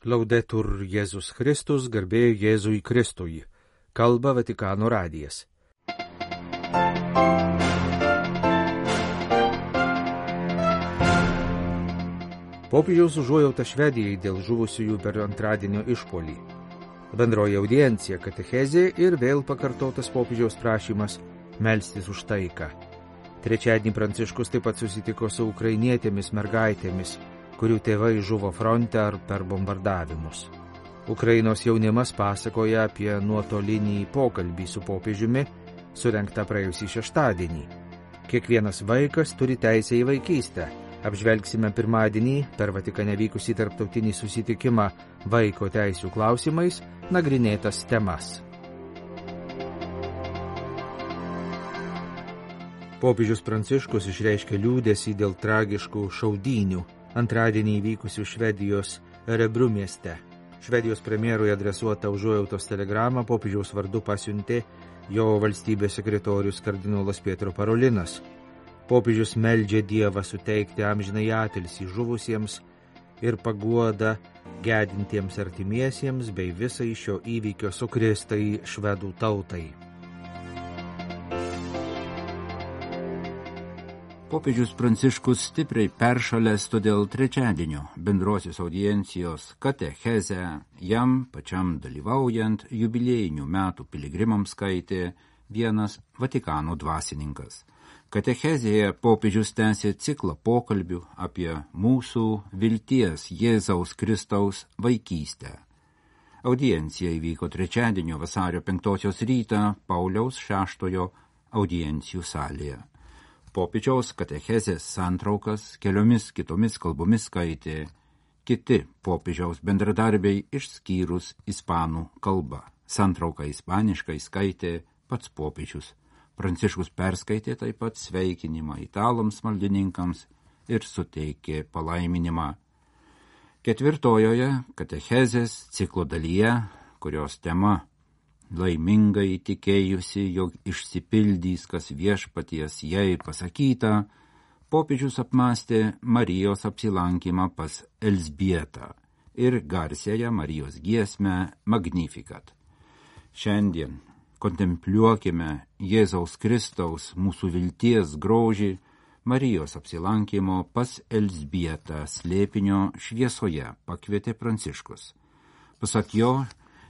Laudetur Jėzus Kristus, garbė Jėzui Kristui. Kalba Vatikano radijas. Popiežiaus užuojauta Švedijai dėl žuvusiųjų per antradienio išpuolį. Bendroji audiencija, katechezė ir vėl pakartotas popiežiaus prašymas melstis už taiką. Trečiadienį Pranciškus taip pat susitiko su ukrainietėmis mergaitėmis, kurių tėvai žuvo fronte ar per bombardavimus. Ukrainos jaunimas pasakoja apie nuotolinį pokalbį su popiežiumi, surengtą praėjusį šeštadienį. Kiekvienas vaikas turi teisę į vaikystę. Apžvelgsime pirmadienį per Vatikane vykusį tarptautinį susitikimą vaiko teisių klausimais nagrinėtas temas. Popiežius Pranciškus išreiškė liūdesį dėl tragiškų šaudynių antradienį įvykusių Švedijos Örebro mieste. Švedijos premjerui adresuotą užuojautos telegramą popiežiaus vardu pasiuntė jo valstybės sekretorius kardinolas Pietro Parolinas. Popiežius meldžia Dievą suteikti amžinai atilsį žuvusiems ir paguodą gedintiems artimiesiems bei visai šio įvykio sukrėstai švedų tautai. Popiežius Pranciškus stipriai peršalęs, todėl trečiadienio bendrosios audiencijos katechezę jam pačiam dalyvaujant jubiliejinių metų piligrimams skaitė vienas Vatikano dvasininkas. Katechezėje popiežius tęsė ciklą pokalbių apie mūsų vilties Jėzaus Kristaus vaikystę. Audiencija įvyko trečiadienio vasario 5 rytą Pauliaus VI audiencijų salėje. Popiežiaus katechezės santraukas keliomis kitomis kalbomis skaitė kiti popiežiaus bendradarbiai išskyrus ispanų kalbą. Santrauką ispaniškai skaitė pats popiežius. Pranciškus perskaitė taip pat sveikinimą italams maldininkams ir suteikė palaiminimą. Ketvirtojoje katechezės ciklo dalyje, kurios tema laimingai tikėjusi, jog išsipildys, kas viešpaties jai pasakyta, popiežius apmąstė Marijos apsilankymą pas Elzbietą ir garsiąją Marijos giesmę Magnificat. Šiandien kontempliuokime Jėzaus Kristaus mūsų vilties grožį Marijos apsilankymo pas Elzbietą slėpinio šviesoje pakvietė Pranciškus. Pasak jo,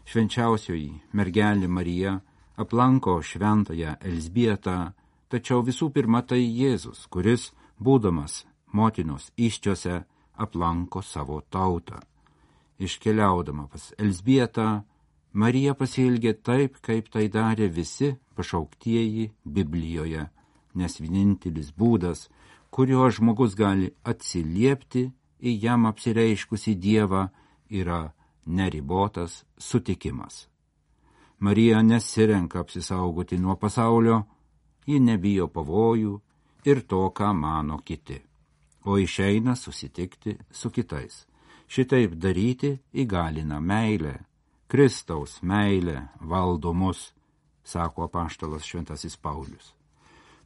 švenčiausioji mergelė Marija aplanko šventąją Elzbietą, tačiau visų pirma tai Jėzus, kuris, būdamas motinos įsčiose, aplanko savo tautą. Iškeliaudama pas Elzbietą, Marija pasielgė taip, kaip tai darė visi pašauktieji Biblijoje, nes vienintelis būdas, kuriuo žmogus gali atsiliepti į jam apsireiškusį Dievą, yra neribotas sutikimas. Marija nesirenka apsisaugoti nuo pasaulio, ji nebijo pavojų ir to, ką mano kiti, o išeina susitikti su kitais. Šitaip daryti įgalina meilė. Kristaus meilė valdo mus, sako apaštalas šventasis Paulius.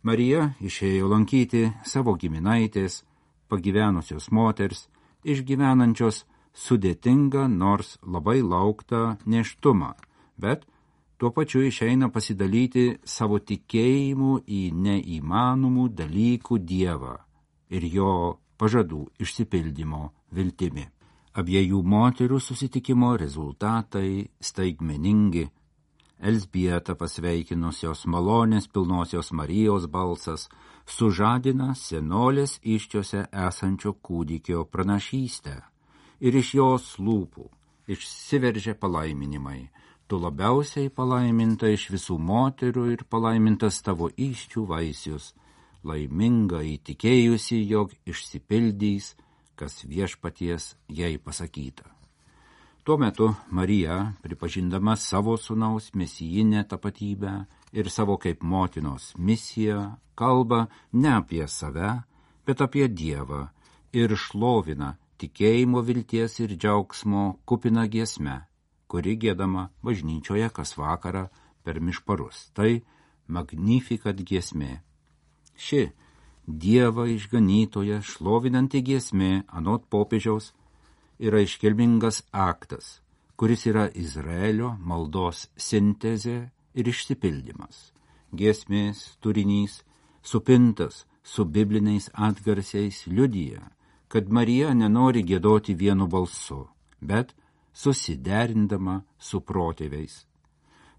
Marija išėjo lankyti savo giminaitės, pagyvenusios moters, išgyvenančios sudėtingą, nors labai lauktą nėštumą, bet tuo pačiu išeina pasidalyti savo tikėjimu į neįmanomų dalykų Dievą ir jo pažadų išsipildymo viltimi. Abiejų moterų susitikimo rezultatai staigmeningi. Elzbietą pasveikinusios malonės pilnosios Marijos balsas sužadina senolės įsčiose esančio kūdikio pranašystę. Ir iš jos lūpų išsiveržė palaiminimai. Tu labiausiai palaiminta iš visų moterų ir palaimintas tavo įsčių vaisius, laiminga įtikėjusi, jog išsipildys, kas viešpaties jai pasakyta. Tuo metu Marija, pripažindama savo sūnaus mesijinę tapatybę ir savo kaip motinos misiją, kalba ne apie save, bet apie Dievą ir šlovina tikėjimo, vilties ir džiaugsmo kupina giesme, kuri giedama bažnyčioje kas vakarą per mišparus. Tai Magnificat giesmė. Ši Dievą išganytoje šlovinanti giesmė, anot popiežiaus, yra iškilmingas aktas, kuris yra Izraelio maldos sintezė ir išsipildymas. Giesmės turinys, supintas su bibliniais atgarsiais, liudija, kad Marija nenori giedoti vienu balsu, bet susiderindama su protėviais.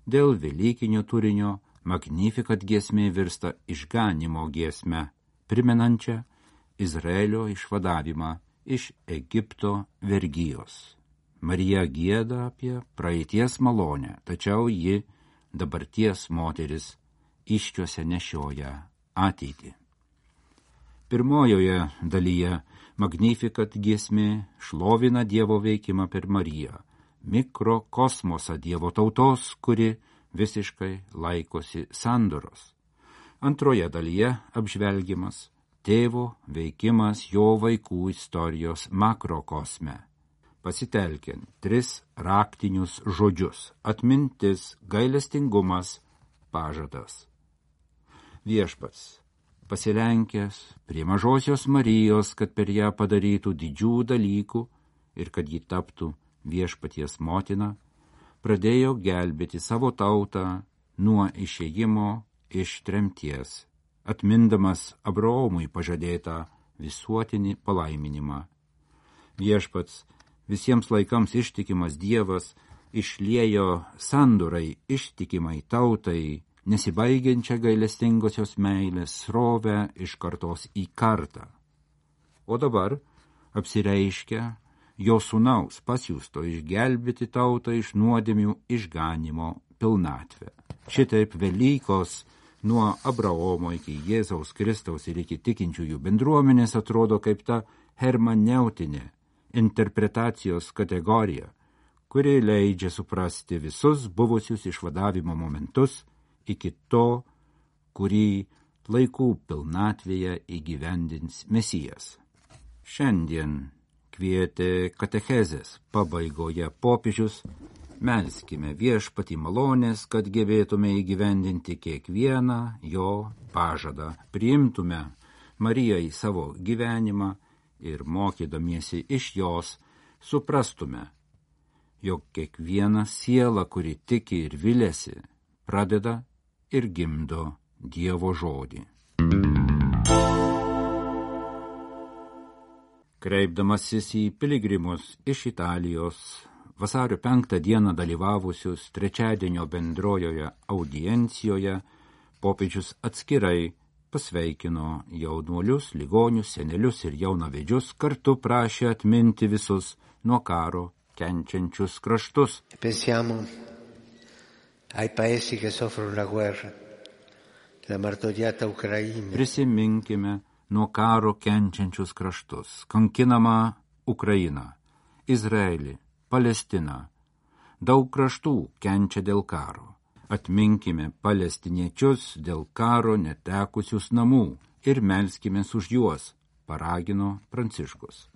Dėl velykinio turinio Magnificat giesmė virsta išganimo giesme, primenančią Izraelio išvadavimą iš Egipto vergijos. Marija gieda apie praeities malonę, tačiau ji dabarties moteris iščiuose nešioja ateitį. Pirmojoje dalyje Magnificat giesmė šlovina Dievo veikimą per Mariją, mikrokosmosą Dievo tautos, kuri visiškai laikosi sandoros. Antroje dalyje apžvelgiamas tėvo veikimas jo vaikų istorijos makrokosme, pasitelkiant 3 raktinius žodžius – atmintis, gailestingumas, pažadas. Viešpats, pasilenkęs prie mažosios Marijos, kad per ją padarytų didžių dalykų ir kad ji taptų viešpaties motina, pradėjo gelbėti savo tautą nuo išėjimo iš tremties, atmindamas Abraomui pažadėtą visuotinį palaiminimą. Viešpats, visiems laikams ištikimas Dievas, išliejo sandorai ištikimai tautai, nesibaigiančią gailestingosios meilės srovę iš kartos į kartą. O dabar apsireiškia jo sūnaus pasiųsto išgelbėti tautą iš nuodėmių išganimo pilnatvę. Šitaip Velykos nuo Abraomo iki Jėzaus Kristaus ir iki tikinčiųjų bendruomenės atrodo kaip ta hermeneutinė interpretacijos kategorija, kuri leidžia suprasti visus buvusius išvadavimo momentus iki to, kurį laikų pilnatvėje įgyvendins Mesijas. Šiandien kvietė katechezės pabaigoje popiežius, melskime Viešpatį malonės, kad gebėtume įgyvendinti kiekvieną jo pažadą, priimtume Mariją į savo gyvenimą ir mokydamiesi iš jos suprastume, jog kiekviena siela, kuri tiki ir viliasi, pradeda ir gimdo Dievo žodį. Kreipdamasis į piligrimus iš Italijos, vasario 5 dieną dalyvavusius trečiadienio bendrojoje audiencijoje, popiežius atskirai pasveikino jaunuolius, ligonius, senelius ir jaunavedžius, kartu prašė atminti visus nuo karo kenčiančius kraštus. Pensiamo ai paesi che soffrono la guerra, la martoriata Ucraina. Prisiminkime nuo karo kenčiančius kraštus, kankinamą Ukrainą, Izraelį, Palestiną. Daug kraštų kenčia dėl karo. Atminkime palestiniečius dėl karo netekusius namų ir melskimės už juos, paragino Pranciškus.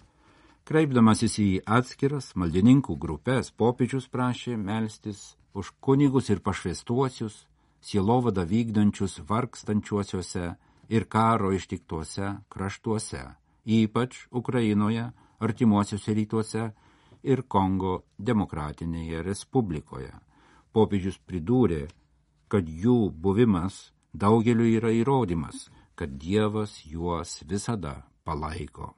Kreipdamasis į atskiras maldininkų grupės, popiežius prašė melstis už kunigus ir pašvęstuosius, sielovadą vykdančius vargstančiuosiuose ir karo ištiktuose kraštuose, ypač Ukrainoje, artimuosiuose rytuose ir Kongo demokratinėje respublikoje. Popiežius pridūrė, kad jų buvimas daugeliu yra įrodymas, kad Dievas juos visada palaiko.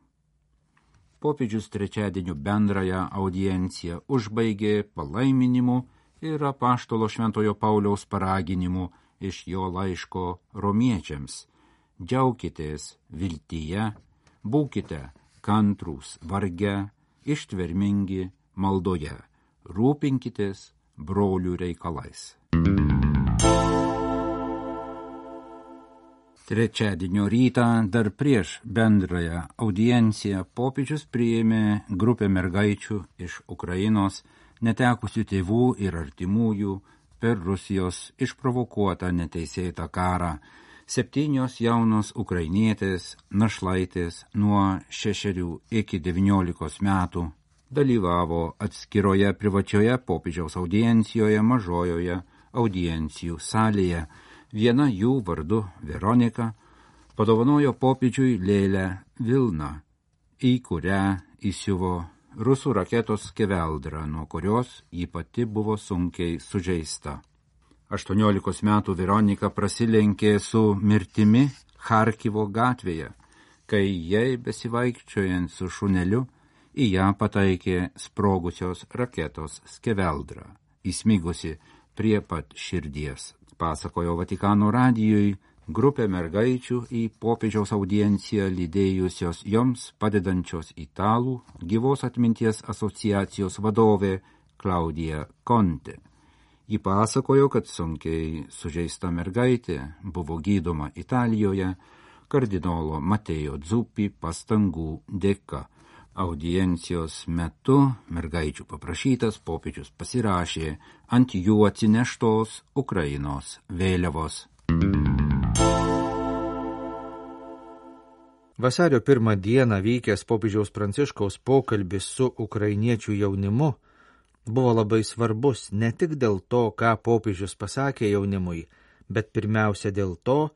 Popiežius trečiadienio bendrąją audienciją užbaigė palaiminimu ir apaštalo Šventojo Pauliaus paraginimu iš jo laiško romiečiams. Džiaukitės viltyje, būkite kantrūs varge, ištvermingi maldoje, rūpinkitės brolių reikalais. Trečiadienio rytą, dar prieš bendrąją audienciją, popiežius priėmė grupę mergaičių iš Ukrainos, netekusių tėvų ir artimųjų per Rusijos išprovokuotą neteisėtą karą. 7 jaunos ukrainietės, našlaitės nuo 6 iki 19 metų dalyvavo atskiroje privačioje popiežiaus audiencijoje mažojoje audiencijų salėje. Viena jų vardu Veronika padovanojo popiežiui lėlę vilną, į kurią įsiuvo rusų raketos Skeveldra, nuo kurios ji pati buvo sunkiai sužeista. 18 metų Veronika prasilenkė su mirtimi Charkivo gatvėje, kai jai besivaikščiojant su šuneliu į ją pataikė sprogusios raketos Skeveldra, įsmigusi prie pat širdies. Pasakojo Vatikano radijui grupė mergaičių į popiežiaus audienciją lydėjusios joms padedančios italų gyvos atminties asociacijos vadovė Klaudija Conte. Ji pasakojo, kad sunkiai sužeista mergaitė buvo gydoma Italijoje kardinolo Mateo Zuppi pastangų dėka. Audiencijos metu mergaičių paprašytas popiežius pasirašė ant jų atsineštos Ukrainos vėliavos. Vasario 1 dieną vykęs popiežiaus Pranciškaus pokalbis su ukrainiečių jaunimu buvo labai svarbus ne tik dėl to, ką popiežius pasakė jaunimui, bet pirmiausia dėl to,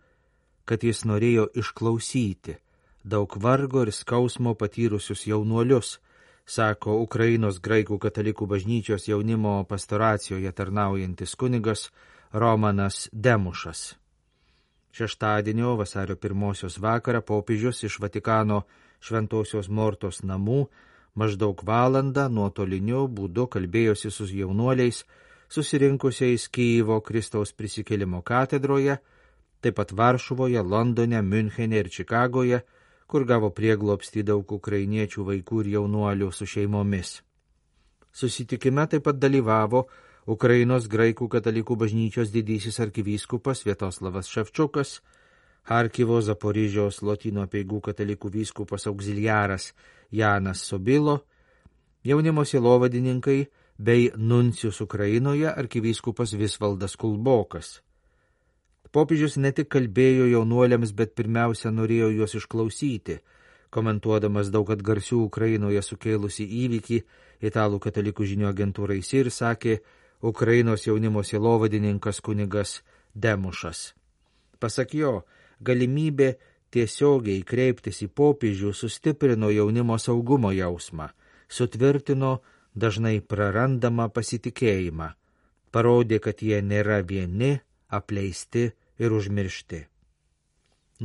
kad jis norėjo išklausyti daug vargo ir skausmo patyrusius jaunuolius, sako Ukrainos graikų katalikų bažnyčios jaunimo pastoracijoje tarnaujantis kunigas Romanas Demušas. Šeštadienio vasario 1 vakarą popiežius iš Vatikano Šventosios Mortos namų maždaug valandą nuotoliniu būdu kalbėjosi su jaunuoliais, susirinkusiais Kijevo Kristaus prisikėlimo katedroje, taip pat Varšuvoje, Londone, Miunchene ir Čikagoje, kur gavo prieglobstį daug ukrainiečių vaikų ir jaunuolių su šeimomis. Susitikime taip pat dalyvavo Ukrainos graikų katalikų bažnyčios didysis arkivyskupas Sviatoslavas Ševčukas, Charkivo Zaporižiaus Lotynų apeigų katalikų vyskupas auxiliaras Janas Sobilo, jaunimo sielovadininkai bei nuncijus Ukrainoje arkivyskupas Visvaldas Kulbokas. Popiežius ne tik kalbėjo jaunuoliams, bet pirmiausia norėjo juos išklausyti, komentuodamas daug atgarsių Ukrainoje sukėlusi įvykį, italų katalikų žinių agentūrai SIR sakė Ukrainos jaunimo sielovadininkas kunigas Demušas. Pasak jo, galimybė tiesiogiai kreiptis į popiežių sustiprino jaunimo saugumo jausmą, sutvirtino dažnai prarandamą pasitikėjimą, parodė, kad jie nėra vieni, apleisti ir užmiršti.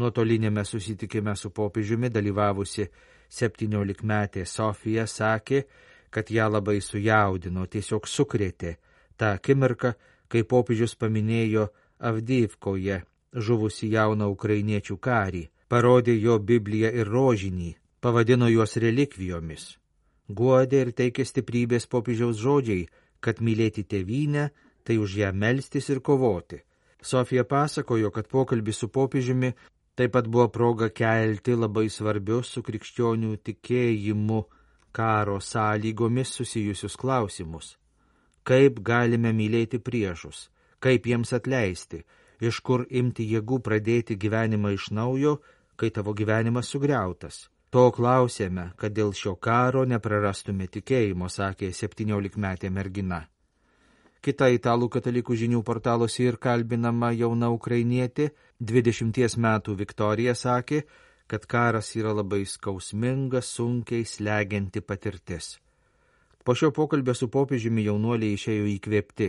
Nuotolinėme susitikime su popiežiumi dalyvavusi 17-metė Sofija sakė, kad ją labai sujaudino, tiesiog sukrėtė tą akimirką, kai popiežius paminėjo Avdijivkoje žuvusi jauną ukrainiečių karį, parodė jo Bibliją ir rožinį, pavadino juos relikvijomis. Guodė ir teikė stiprybės popiežiaus žodžiai, kad mylėti tėvynę, tai už ją melstis ir kovoti. Sofija pasakojo, kad pokalbis su popiežiumi taip pat buvo proga kelti labai svarbius su krikščionių tikėjimu karo sąlygomis susijusius klausimus. Kaip galime mylėti priešus, kaip jiems atleisti, iš kur imti jėgų pradėti gyvenimą iš naujo, kai tavo gyvenimas sugriautas. To klausėme, kad dėl šio karo neprarastume tikėjimo, sakė 17-metė mergina. Kita italų katalikų žinių portalo SIR kalbinama jauna ukrainietė, 20 metų Viktorija, sakė, kad karas yra labai skausminga, sunkiai slegianti patirtis. Po šio pokalbio su popiežiumi jaunuoliai išėjo įkvėpti.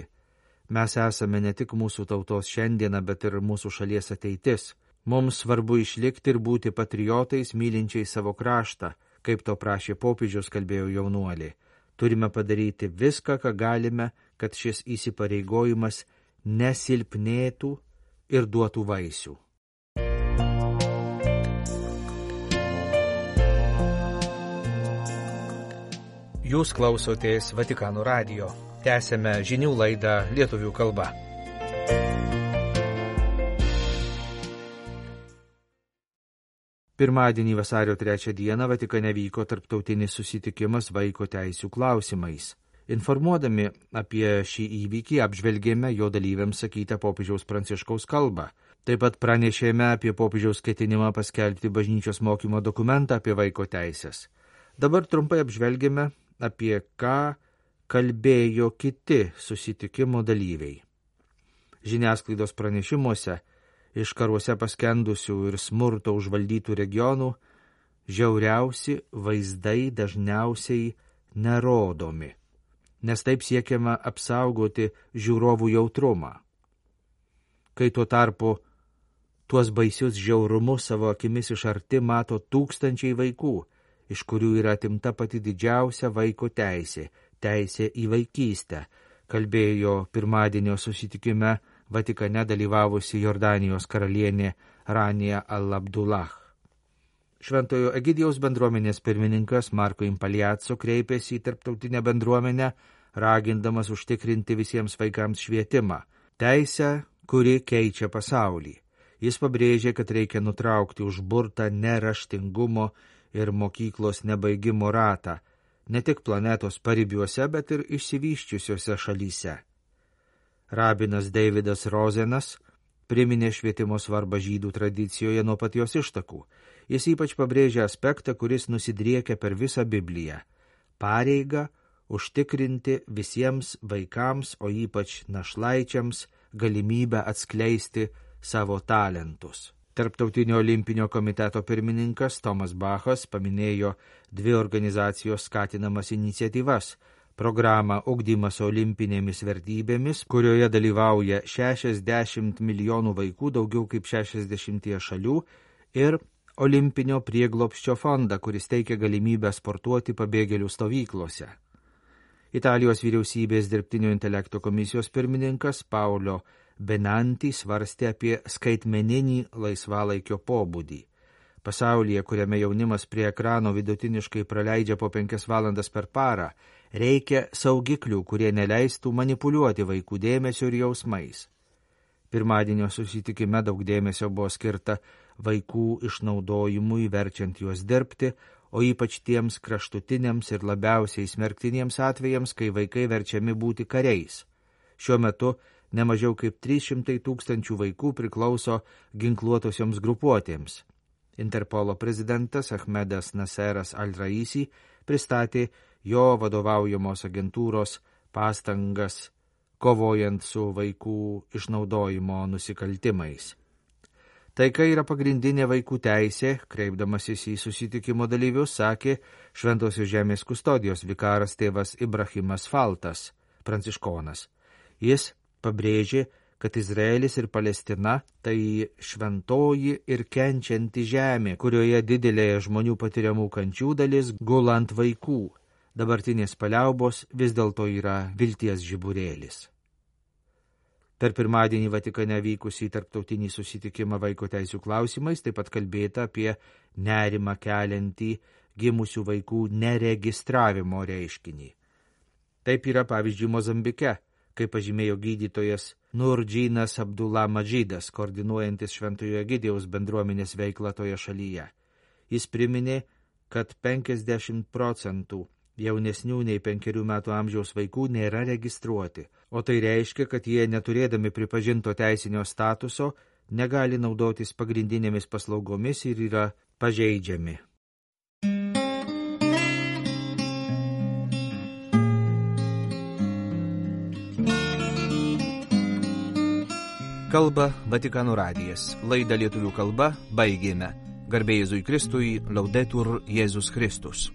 Mes esame ne tik mūsų tautos šiandieną, bet ir mūsų šalies ateitis. Mums svarbu išlikti ir būti patriotais, mylinčiai savo kraštą, kaip to prašė popiežius, kalbėjo jaunuoliai. Turime padaryti viską, ką galime, kad šis įsipareigojimas nesilpnėtų ir duotų vaisių. Jūs klausotės Vatikano radijo. Tęsėme žinių laidą lietuvių kalba. Pirmadienį vasario 3 dieną Vatikane vyko tarptautinis susitikimas vaiko teisių klausimais. Informuodami apie šį įvykį apžvelgėme jo dalyviams sakytą popiežiaus Pranciškaus kalbą. Taip pat pranešėme apie popiežiaus ketinimą paskelbti bažnyčios mokymo dokumentą apie vaiko teisės. Dabar trumpai apžvelgėme, apie ką kalbėjo kiti susitikimo dalyviai. Žiniasklaidos pranešimuose iš karuose paskendusių ir smurto užvaldytų regionų žiauriausi vaizdai dažniausiai nerodomi, nes taip siekiama apsaugoti žiūrovų jautrumą. Kai tuo tarpu tuos baisius žiaurumus savo akimis iš arti mato tūkstančiai vaikų, iš kurių yra atimta pati didžiausia vaiko teisė į vaikystę, kalbėjo pirmadienio susitikime Vatikane dalyvavusi Jordanijos karalienė Rania al-Abdullah. Šventojo Egidijaus bendruomenės pirmininkas Marko Impaliaco kreipėsi į tarptautinę bendruomenę, ragindamas užtikrinti visiems vaikams švietimą, teisę, kuri keičia pasaulį. Jis pabrėžė, kad reikia nutraukti užburtą neraštingumo ir mokyklos nebaigimo ratą, ne tik planetos paribiuose, bet ir išsivysčiusiuose šalyse. Rabinas Davidas Rozenas priminė švietimo svarbą žydų tradicijoje nuo pat jos ištakų. Jis ypač pabrėžė aspektą, kuris nusidriekia per visą Bibliją – pareigą užtikrinti visiems vaikams, o ypač našlaičiams, galimybę atskleisti savo talentus. Tarptautinio olimpinio komiteto pirmininkas Tomas Bachas paminėjo 2 organizacijos skatinamas iniciatyvas – programą Ugdymas olimpinėmis vertybėmis, kurioje dalyvauja 60 milijonų vaikų daugiau kaip 60 šalių, ir Olimpinio prieglobsčio fondą, kuris teikia galimybę sportuoti pabėgėlių stovyklose. Italijos vyriausybės dirbtinio intelekto komisijos pirmininkas Paolo Benanti svarstė apie skaitmeninį laisvalaikio pobūdį. Pasaulyje, kuriame jaunimas prie ekrano vidutiniškai praleidžia po 5 valandas per parą, reikia saugiklių, kurie neleistų manipuliuoti vaikų dėmesio ir jausmais. Pirmadienio susitikime daug dėmesio buvo skirta vaikų išnaudojimui, verčiant juos dirbti, o ypač tiems kraštutiniams ir labiausiai smerktiniems atvejams, kai vaikai verčiami būti kariais. Šiuo metu nemažiau kaip 300 000 vaikų priklauso ginkluotosioms grupuotėms. Interpolo prezidentas Ahmedas Naseras Al-Raisi pristatė jo vadovaujamos agentūros pastangas kovojant su vaikų išnaudojimo nusikaltimais. Taika yra pagrindinė vaikų teisė, kreipdamasis į susitikimo dalyvius, sakė Šventosios žemės kustodijos vikaras tėvas Ibrahimas Faltas, pranciškonas. Jis pabrėžė, kad Izraelis ir Palestina tai šventoji ir kenčianti žemė, kurioje didelė žmonių patiriamų kančių dalis gula ant vaikų. Dabartinės paliaubos vis dėlto yra vilties žiburėlis. Per pirmadienį Vatikane vykusį tarptautinį susitikimą vaiko teisių klausimais taip pat kalbėta apie nerimą keliantį gimusių vaikų neregistravimo reiškinį. Taip yra pavyzdžiui Mozambike, kaip pažymėjo gydytojas Nurdžinas Abdullah Madžidas, koordinuojantis Šventojo Egidijaus bendruomenės veiklą toje šalyje. Jis priminė, kad 50% jaunesnių nei 5 metų amžiaus vaikų nėra registruoti, o tai reiškia, kad jie, neturėdami pripažinto teisinio statuso, negali naudotis pagrindinėmis paslaugomis ir yra pažeidžiami. Kalba Vatikano radijas. Laidą lietuvių kalba baigėme. Garbė Jėzui Kristui, Laudetur Jėzus Kristus.